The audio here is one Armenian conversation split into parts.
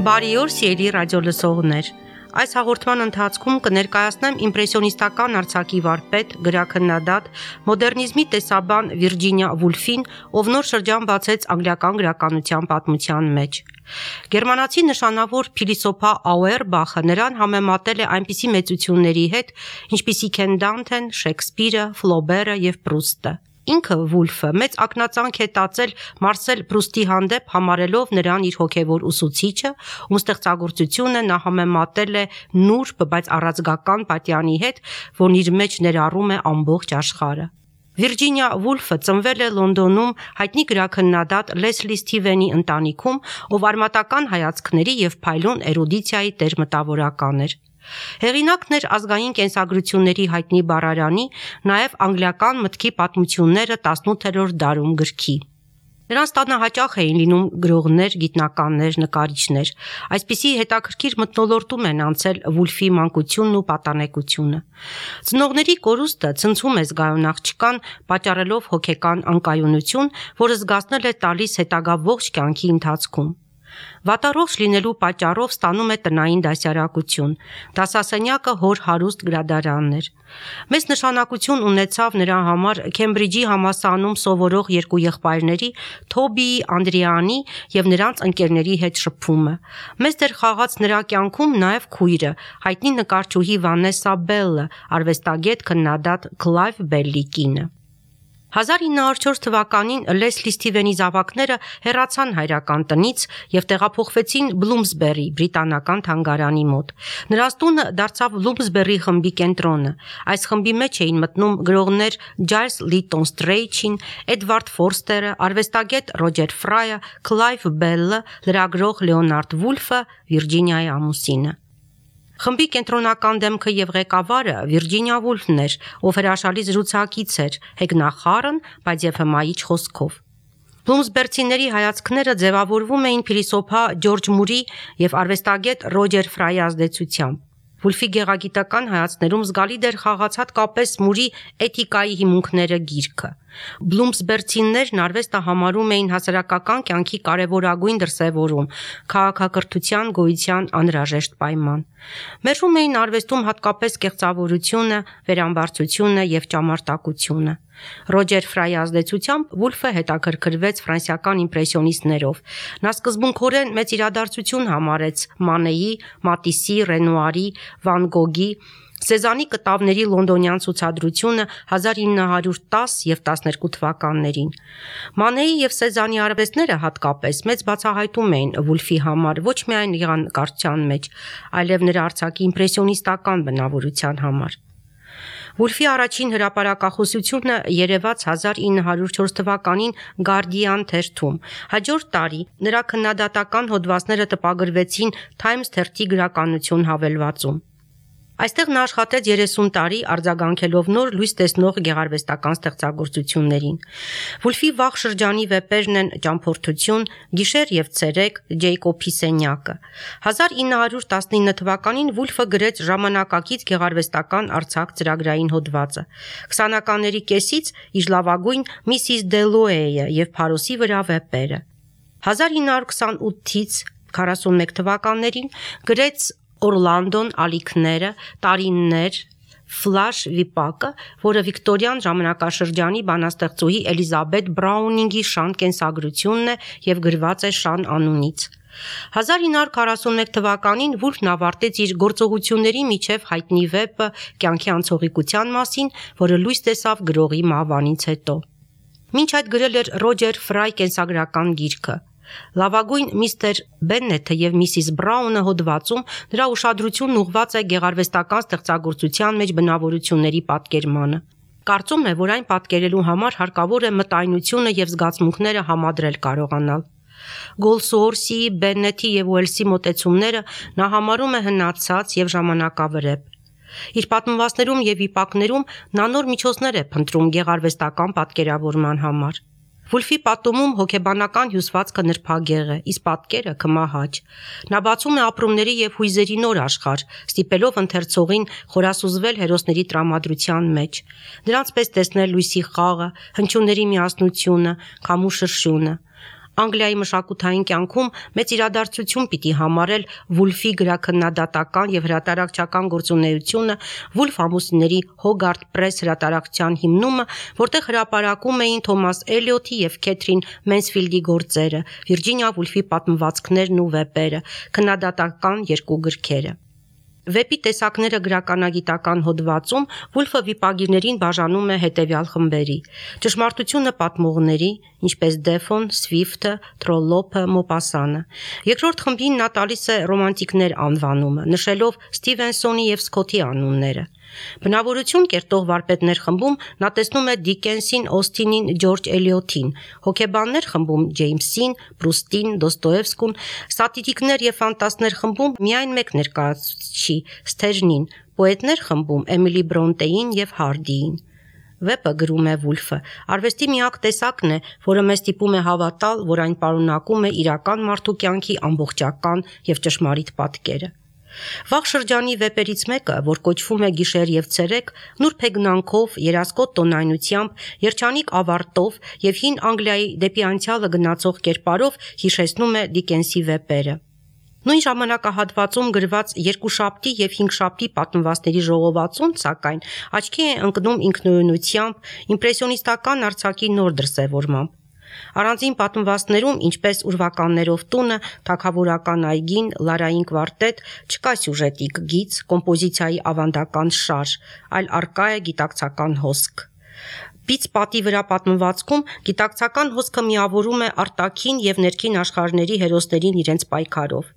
Բարի օր, սիրելի ռադիոլսողներ։ Այս հաղորդման ընթացքում կներկայացնեմ իմպրեսիոնիստական արձակի վարպետ, գրաքննադատ, մոդեռնիզմի տեսաբան Վիրջինիա Վուլֆին, ով նոր շրջան բացեց անգլիական գրականության պատմության մեջ։ Գերմանացի նշանավոր փիլիսոփա Աուերբախը նրան համեմատել է այնպիսի մեծությունների հետ, ինչպիսիք են Դանթեն, Շեքսպիրը, Ֆլոբերը եւ Պրուստը։ Ինքը Վուլֆը մեծ ակնածանք է տածել Մարսել Պրուստի հանդեպ, համարելով նրան իր հոգևոր ուսուցիչը, ում ստեղծագործությունը նա համեմատել է նուրբ, բայց առածգական պատյանի հետ, որն իր մեջ ներառում է ամբողջ աշխարհը։ Վիրջինիա Վուլֆը ծնվել է Լոնդոնում հայտնի գրաքննադատ Լեսլի Սթիվենի ընտանիքում, ով արմատական հայացքների եւ փայլուն էրուդիցիայի տեր-մտավորական էր։ Հեղինակն էր ազգային կենսագրությունների հայտնի բառարանի, նաև անգլիական մտքի պատմությունները 18-րդ դարում գրքի։ Նրանց տանը հաճախ էին լինում գրողներ, գիտնականներ, նկարիչներ։ Այսպիսի հետաքրքիր մթնոլորտում են անցել Վուլֆի մանկությունն ու պատանեկությունը։ Ծնողների կորուստը ցնցում է զգայուն աղջկան, պատճառելով հոգեկան անկայունություն, որը զգացնել է տալիս հետագա ողջ կյանքի ընթացքում։ Վատառողջ լինելու պատճառով ստանում է տնային դասյարակություն։ Դասասենյակը հոր հարուստ գրադարանն էր։ Մեծ նշանակություն ունեցավ նրա համար Քեմբրիջի համալսարանում սովորող երկու եղբայրների՝ Թոբիի, Անդրեանի եւ նրանց ընկերների հետ շփումը։ Մեծ դեր խաղաց նրա կյանքում նաև քույրը, հայտնի նկարչուհի Վանեսա Բելլը, արվեստագետ քննադատ Քլայվ Բելլի կինը։ 1904 թվականին Լեսլի Սթիվենի զավակները հեռացան հայրական տնից եւ տեղափոխվեցին Բլումսբերի, բրիտանական թանգարանի մոտ։ Նրանց տունը դարձավ Բլումսբերի խմբի կենտրոնը։ Այս խմբի մեջ էին մտնում գրողներ Ջայլս Լիտոն Ստրեյչին, Էդվարդ Ֆորստերը, արվեստագետ Ռոջեր Ֆրայը, Քլայվ Բելլը, լրագրող Լեոնարդ Վուլֆը, Վիրջինիայի ամուսինը։ Խմբի կենտրոնական դեմքը եւ ղեկավարը Վիրջինիա Վուլֆն էր, ով հրաշալի զրուցակից էր, հեգնախառն, բայց եւ հմայիչ խոսքով։ Բլումսբերցիների հայացքները ձևավորվում էին փիլիսոփա Ջորջ Մուրի եւ արվեստագետ Ռոջեր Ֆրայի ազդեցությամբ։ Վուլֆի գեղագիտական հայացքներում զգալի դեր խաղաց հատկապես Մուրի Էթիկայի հիմունքները գիրքը։ Բլումսբերցիներն արվեստը համարում էին հասարակական կյանքի կարևորագույն դրսևորում, քաղաքակրթության գոյության անհրաժեշտ պայման։ Մերժում էին արվեստում հատկապես կեղծավորությունը, վերամբարձությունը եւ ճամարտակությունը։ Ռոջեր Ֆրայի ազդեցությամբ Վուլֆը հետաքրքրվեց ֆրանսիական իմպրեսիոնիստներով։ Նա սկզբունքորեն մեծ իրադարձություն համարեց Մանեի, Մատիսի, Ռենուարի, Վան Գոգի, Սեզանի կտավների լոնդոնյան ցուցադրությունը 1910 եւ 12 թվականներին։ Մանեի եւ Սեզանի արվեստները հատկապես մեծ բացահայտում էին Վուլֆի համար ոչ միայն գեղանկարչության մեջ, այլև նրա արձակի իմպրեսիոնիստական բնավորության համար։ Վուլֆի առաջին հրապարակախոսությունը երևաց 1904 թվականին Guardian թերթում։ Հաջորդ տարի նրա քննադատական հոդվածները տպագրվեցին Times թերթի գրականություն հավելվածում։ Այստեղ նա աշխատեց 30 տարի, արձագանքելով նոր լույս տեսնող գեղարվեստական ստեղծագործություններին։ Վուլֆի վաղ շրջանի վեպերն են Ճամփորդություն, Գիշեր եւ ցերեկ, Ջեյկոբի սենյակը։ 1919 թվականին Վուլֆը գրեց ժամանակակից գեղարվեստական արձակ ծրագրային հոդվածը։ 20-ականների կեսից իր լավագույն Միսիս Դելոեյը եւ Փարոսի վրա վեպերը։ 1928-ից 41 թվականներին գրեց Օրլանդոն, Ալիքները, Տարիններ, Ֆլաշ վիպակը, որը Վիկտորյան ժամանակաշրջանի բանաստեղծուհի Էլիզաբեթ Բրաունինգի շան կենսագրությունն է եւ գրված է Շան անունից։ 1941 թվականին Վուլֆն ավարտեց իր գործողությունների միջև հայտնի վեպը Կյանքի անցողիկության մասին, որը լույս տեսավ գրողի մահվանից հետո։ Մինչ այդ գրել էր Ռոջեր Ֆրայ կենսագրական գիրքը։ Լավագույն միստեր Բեննեթը եւ Միսիս Բրաունը հոդվածում նրա ուշադրությունն ուղղված է գեղարվեստական ստեղծագործության մեջ բնավորությունների պատկերմանը։ Կարծում է, որ այն պատկերելու համար հարկավոր է մտայնությունը եւ զգացմունքները համադրել կարողանալ։ Գոլսուորսի, Բեննեթի եւ Ուելսի մոտեցումները նա համարում է հնացած եւ ժամանակավրեպ։ Իր պատմվածներում եւ վիպակներում նա նոր միջոցներ է փնտրում գեղարվեստական պատկերավորման համար։ Վուլֆի պատումում հոգեբանական հյուսվածքը նրբագեղ է, իսկ պատկերը քմահաճ։ Նա բացում է ապրումների եւ հույզերի նոր աշխարհ, ստիպելով ընթերցողին խորասուզվել հերոսների տրամադրության մեջ, նրանց պես տեսնել լույսի խաղը, հնչյունների միասնությունը, քամու շրշյունը։ Անգլիայի մշակութային կյանքում մեծ իրադարձություն պիտի համարել Վուլֆի գրաքննադատական եւ հրատարակչական գործունեությունը, Վուլֆ ամուսինների Հոգարթ Պրես հրատարակչության հիմնումը, որտեղ հրապարակում էին Թոմաս Էլիոթի եւ Քեթրին Մենսֆիլդի գործերը, Վիրջինիա Վուլֆի պատմվածքներն ու վեպերը, քննադատական 2 գրքերը։ Վեպի տեսակները գրականագիտական հոդվածում Վուլֆը վիպագիրներին բաժանում է հետևյալ խմբերի. ճշմարտությունը պատմողների, ինչպես Դեֆոն, Սվիֆթը, Թրոլոփը, Մոպասանը։ Երկրորդ խմբին նա տալիս է ռոմանտիկներ անվանումը, նշելով Ստիվենսոնի եւ Սքոթի անունները։ Բնավորություն կերտող վարպետներ խմբում նա տեսնում է Դիկենսին, Օստինին, Ջորջ Էլիոթին, հոգեբաններ խմբում Ջեյմսին, Պրուստին, Դոստոևսկուն, սատիրիկներ եւ ֆանտաստներ խմբում միայն մեկ ներկայացուցիչ Սթեժնին, պոետներ խմբում Էմիլի Բրոնտեին եւ Հարդիին։ Վեպը, գրում է Վուլֆը, արվեստի միակ տեսակն է, որը մեզ ստիպում է հավատալ, որ այն պարունակում է իրական մարդու կյանքի ամբողջական եւ ճշմարիտ պատկերը։ Վաղ շրջանի վեպերից մեկը, որ կոչվում է Գիշեր եւ ցերեկ, նուրբ հեգնանքով, երասկոտ տոնայնությամբ, երջանիկ ավարտով եւ հին Անգլիայի դեպի անցյալը գնացող կերպարով հիշեցնում է Դիկենսի վեպերը։ Նույն ժամանակահատվածում գրված Երկուշաբթի եւ Հինգշաբթի պատմվածքների ժողովածուն, սակայն, աչքի է ընկնում ինքնուրույնությամբ, իմպրեսիոնիստական արձակի նոր դրսևորմամբ։ Առանձին պատմվածքներում, ինչպես Ուրվականներով տունը, Թագավորական այգին, Լարային կվարտետ, չկա սյուժետիկ գիծ, կոմպոզիցիայի ավանդական շարժ, այլ առկա է գիտակցական հոսք։ Պից պատի վրա պատմվածքում գիտակցական հոսքը միավորում է արտաքին եւ ներքին աշխարհների հերոսներին իրենց պայքարով։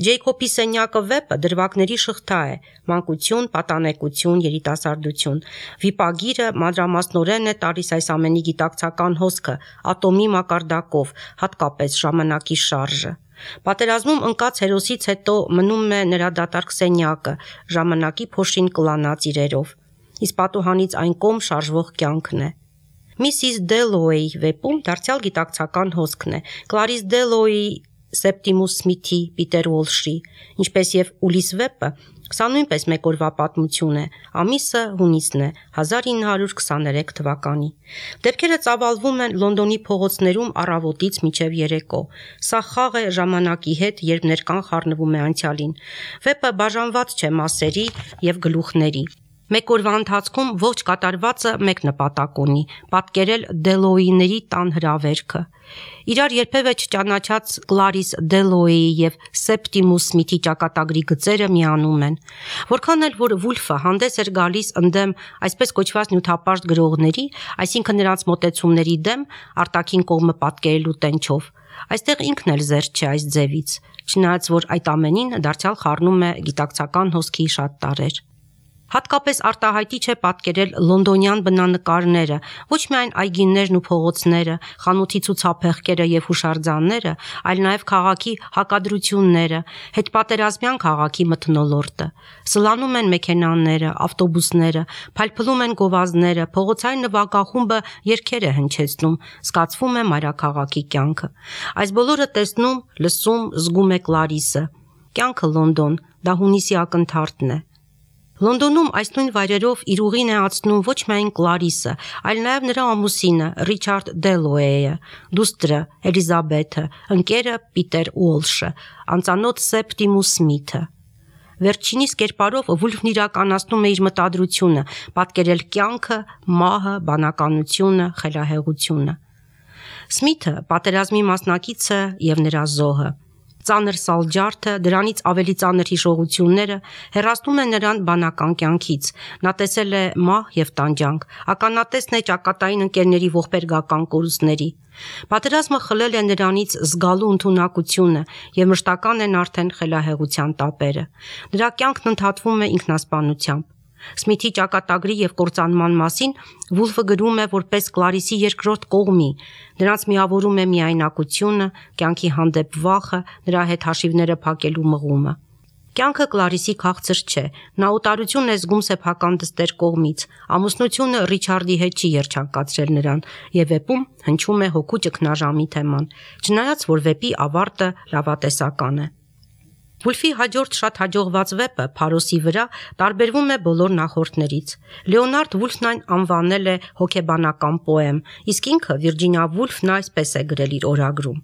Ջեյքոբի սենյակը վեպը դրվագների շղթա է՝ մանկություն, պատանեկություն, երիտասարդություն։ Վիպագիրը մանրամասնորեն է տալիս այս ամենի գիտակցական հոսքը, ատոմի մակարդակով, հատկապես ժամանակի շարժը։ Պատերազմում ընկած հերոսից հետո մնում է նրա դատարկ սենյակը, ժամանակի փոշին կլանած իրերով։ Իսկ պատուհանից այն կողմ շարժվող կյանքն է։ Միսիս Դելոուեի վեպում դարձյալ գիտակցական հոսքն է։ Կլարիս Դելոուեի Սեպտիմուս Սմիթի, Պիտեր Ուոլշի, ինչպես եւ Ուլիս վեպը, սա նույնպես մեկ օրվա պատմություն է, ամիսը հունիսն է, 1923 թվականի։ Դեպքերը ծավալվում են Լոնդոնի փողոցներում առավոտից մինչև երեկո։ Սա խաղ է ժամանակի հետ, երբ ներկան խառնվում է անցյալին։ Վեպը բաժանված չէ մասերի եւ գլուխների։ Մեկ օրվա ընթացքում ողջ կատարվածը մեկ նպատակ ունի՝ պատկերել Դելոուիների տան հրավերքը։ Իրար երբևէ չճանաչած Կլարիս Դելոուեի եւ Սեպտիմուս Սմիթի ճակատագրի գծերը միանում են։ Որքան էլ որ Վուլֆը հանդես էր գալիս ընդդեմ այսպես կոչված նյութապաշտ գրողների, այսինքն նրանց մոտեցումների դեմ, արտաքին կողմը պատկերելու տենչով, այստեղ ինքն էլ զերծ չէ այս ձևից, չնայած որ այդ ամենին դարձյալ խառնում է գիտակցական հոսքի շատ տարրեր։ Հատկապես արտահայտիչ է պատկերել լոնդոնյան բնանկարները, ոչ միայն այգիներն ու փողոցները, խանութի ցուցափեղկերը եւ հուշարձանները, այլ նաեւ քաղաքի հակադրությունները, հետպատերազմյան քաղաքի մթնոլորտը։ Սլանում են մեքենաները, ավտոբուսները, փայլփլում են գովազդները, փողոցային նվագախումբը երգեր է հնչեցնում, զգացվում է մայրաքաղաքի կյանքը։ Այս բոլորը տեսնում, լսում, զգում է Կլարիսը։ Կյանքը Լոնդոն, դա հունիսի ակնթարթն է։ Լոնդոնում այս նույն վայրերով իր ուղին է անցնում ոչ միայն Կլարիսը, այլ նաև նրա ամուսինը Ռիչարդ Դելոուեյը, դուստրը Էլիզաբեթը, ընկերը Պիտեր Ուոլշը, անծանոթ Սեպտիմուս Սմիթը։ Վերջինիս կերպարով Վուլֆն իրականացնում է իր մտադրությունը՝ պատկերել կյանքը, մահը, բանականությունը, խելահեղությունը։ Սմիթը պատերազմի մասնակիցը եւ նրա զոհը։ Ծանր սալջարդը, դրանից ավելի ծանր հիշողությունները հեռացնում են նրան բանական կյանքից։ Նա տեսել է մահ եւ տանջանք, ականատեսն է ճակատային ընկերների ողբերգական կորուստների։ Պատերազմը խլել է նրանից զգալու ընդունակությունը եւ մշտական են արդեն խելահեղության տապերը։ Նրա կյանքն ընդհատվում է ինքնասպանությամբ։ Սմիթի ճակատագրի եւ կործանման մասին Վուլֆը գրում է որպես Կլարիսի երկրորդ կողմի։ Նրանց միավորում է միայնակությունը, կյանքի հանդեպ վախը, նրա հետ հաշիվները փակելու մղումը։ Կյանքը Կլարիսի քաղցր չէ, նա օտարություն է զգում սեփական դստեր կողմից, ամուսնությունը Ռիչարդի հետ չի երջանկացրել նրան, եւ վեպում հնչում է հոգու ճգնաժամի թեման, չնայած որ վեպի ավարտը լավատեսական է։ Վուլֆի հաջորդ շատ հաջողված վեպը Փարոսի վրա տարբերվում է բոլոր նախորդներից։ Լեոնարդ Վուլֆն այն անվանել է հոգեբանական պոեմ, իսկ ինքը Վիրջինիա Վուլֆն այսպես է գրել իր օրագրում.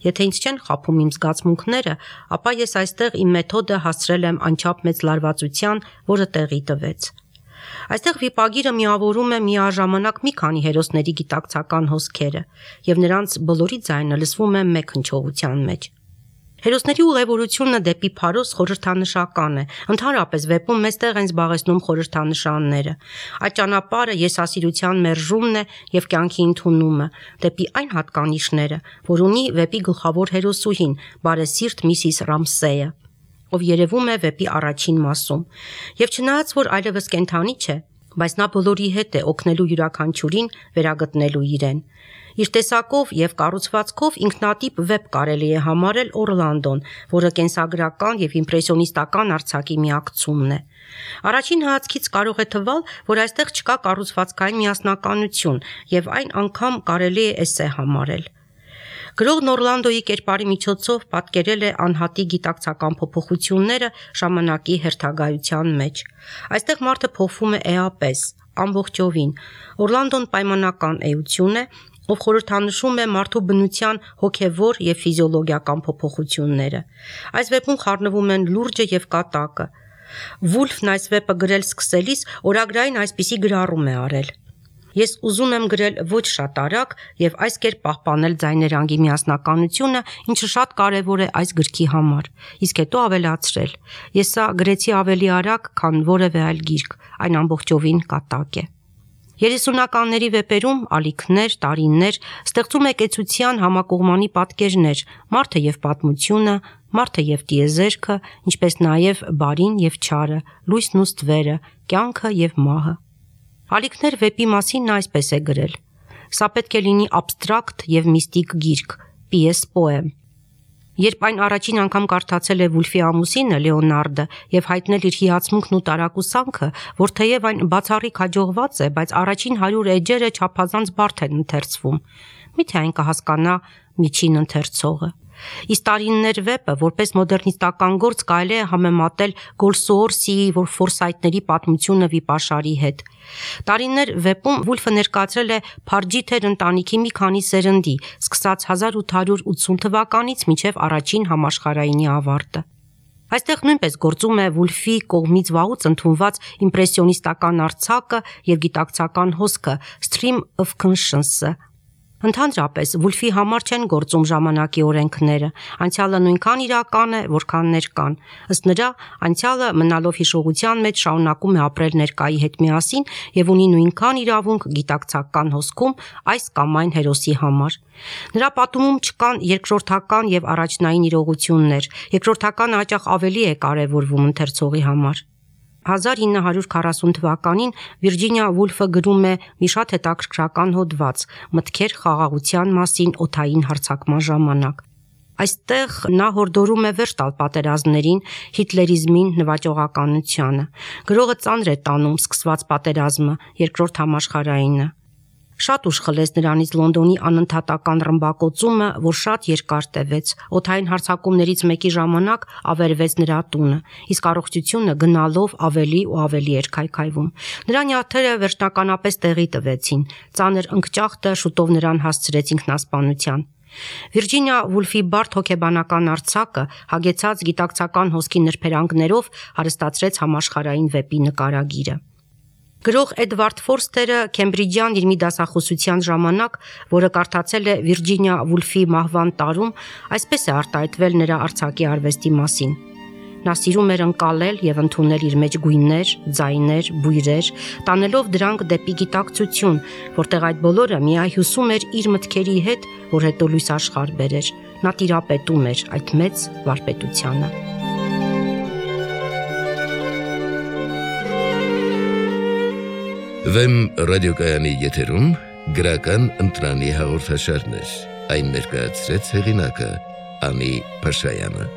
Եթե ինձ չեն խաբում իմ զգացմունքները, ապա ես այստեղ իմ մեթոդը հասցրել եմ անչափ մեծ լարվածության, որը տեղի տվեց։ Այստեղ վիպագիրը միավորում է միաժամանակ մի քանի հերոսների գիտակցական հոսքերը, եւ նրանց բոլորի ձայնը լսվում է մեկ հնչողության մեջ։ Հերոսների ուղևորությունը դեպի Փարոս խորհրդանշական է, ընդհանրապես վեպում մեծ տեղ են զբաղեցնում խորհրդանշանները։ Այդ ճանապարհը եսասիրության մերժումն է եւ կյանքի ընդունումը, դեպի այն հատկանիշները, որ ունի վեպի գլխավոր հերոսուհին, բարեսիրտ Միսիս Ռամսեյը, ով երևում է վեպի առաջին մասում։ Եվ չնայած որ այլևս կենդանի չէ, բայց նա բոլորի հետ է օգնելու յուրաքանչյուրին վերագտնելու իրեն։ Իր տեսակով եւ կառուցվածքով ինքնատիպ վեպ կարելի է համարել Օրլանդոն, որը կենսագրական եւ իմպրեսիոնիստական արձակի միակցումն է։ Առաջին հայացքից կարող է թվալ, որ այստեղ չկա կառուցվածքային միասնականություն եւ այն անգամ կարելի է էսե համարել։ Գրողն Օրլանդոյի կերպարի միջոցով պատկերել է անհատի գիտակցական փոփոխությունները ժամանակի հերթագայության մեջ։ Այստեղ մարդը փոխվում է էապես, ամբողջովին։ Օրլանդոն պայմանական էություն է, ով խորհրդանշում է մարդու բնության հոգևոր եւ ֆիզիոլոգիական փոփոխությունները։ Այս վեպում խառնվում են լուրջը եւ կատակը։ Վուլֆն այս վեպը գրել սկսելիս օրագրային այսպիսի գրառում է արել. Ես ուզում եմ գրել ոչ շատ արագ եւ այս կերպ պահպանել ձայներանգի միասնականությունը, ինչը շատ կարեւոր է այս գրքի համար։ Իսկ հետո ավելացրել. Ես սա գրեցի ավելի արագ, քան որևէ այլ գիրք, այն ամբողջովին կատակ է։ 30-ականների վեպերում ալիքներ, տարիներ, ստեղծում է կեցության համակողմանի պատկերներ, մարդը եւ պատմությունը, մարդը եւ տիեզերքը, ինչպես նաեւ բարին եւ չարը, լույսն ու ստվերը, կյանքը եւ մահը։ Ալիքներ վեպի մասին նա այսպես է գրել. Սա պետք է լինի աբստրակտ եւ միստիկ գիրք, պիես պոեմ։ Երբ այն առաջին անգամ կարդացել է Վուլֆի ամուսինը Լեոնարդը եւ հայտնել իր հիացմունքն ու տարակուսանքը, որ թեև այն բացառիկ հաջողված է, բայց առաջին 100 էջերը չափազանց բարդ են ընթերցվում։ Միթե այն կհասկանա միջին ընթերցողը։ Իսկ տարիններ վեպը, որպես մոդեռնիստական գործ կարելի է համեմատել Գոլսուորսիի, որ Ֆորսայթների պատմությունը վիպաշարի հետ։ Տարիններ վեպում Վուլֆը ներկայացրել է Փարջիթեր ընտանիքի մի քանի սերնդի, սկսած 1880 թվականից մինչև առաջին համաշխարհայինի ավարտը։ Այստեղ նույնպես գործում է Վուլֆի կողմից վաղուց ընդունված իմպրեսիոնիստական արձակը եւ գիտակցական հոսքը Stream of Conscience-ը։ Ընդհանրապես Վուլֆի համար չեն գործում ժամանակի օրենքները, անցյալը նույնքան իրական է, որքան ներկան։ Ըստ նրա, անցյալը մնալով հիշողության մեջ շարունակում է ապրել ներկայի հետ միասին եւ ունի նույնքան իրավունք գիտակցական հոսքում այս կամ այն հերոսի համար։ Նրա պատումում չկան երկրորդական եւ առաջնային իրողություններ, երկրորդականը հաճախ ավելի է կարեւորվում ընթերցողի համար։ 1940 թվականին Վիրջինիա Վուլֆը գրում է մի շատ հետաքրքրական հոդված «Մտքեր խաղաղության մասին օդային հարձակման ժամանակ»։ Այստեղ նա հորդորում է վերջ տալ պատերազմներին, հիտլերիզմին, նվաճողականությանը։ Գրողը ծանր է տանում սկսված պատերազմը, երկրորդ համաշխարհայինը։ Շատ ուշ խլեց նրանից Լոնդոնի անընդհատական ռմբակոծումը, որ շատ երկար տևեց։ Օդային հարձակումներից մեկի ժամանակ ավերվեց նրա տունը, իսկ առողջությունը գնալով ավելի ու ավելի էր քայքայվում։ Նրա նյարդերը վերջնականապես տեղի տվեցին։ Ծանր ընկճախտը շուտով նրան հասցրեց ինքնասպանության։ Վիրջինիա Վուլֆի բարդ հոգեբանական արձակը, հագեցած գիտակցական հոսքի նրբերանգներով, հարստացրեց համաշխարհային վեպի նկարագիրը։ Գրող Էդվարդ Ֆորստերը Քեմբրիջյան իր մի դասախոսության ժամանակ, որը կարդացել է Վիրջինիա Վուլֆի մահվան տարում, այսպես է արտահայտվել նրա արձակի արվեստի մասին։ Նա սիրում էր ընկալել եւ ընդունել իր մեջ գույներ, ձայներ, բույրեր, տանելով դրանք դեպի գիտակցություն, որտեղ այդ բոլորը միահյուսում էր իր մտքերի հետ, որ հետո լույս աշխարհ բերեր։ Նա տիրապետում էր այդ մեծ վարպետությանը։ Վեմ ռադիոկայանի եթերում գրական ընտրանի հաղորդաշարներ։ Այն ներկայացրեց հեղինակը Անի Փաշայանը։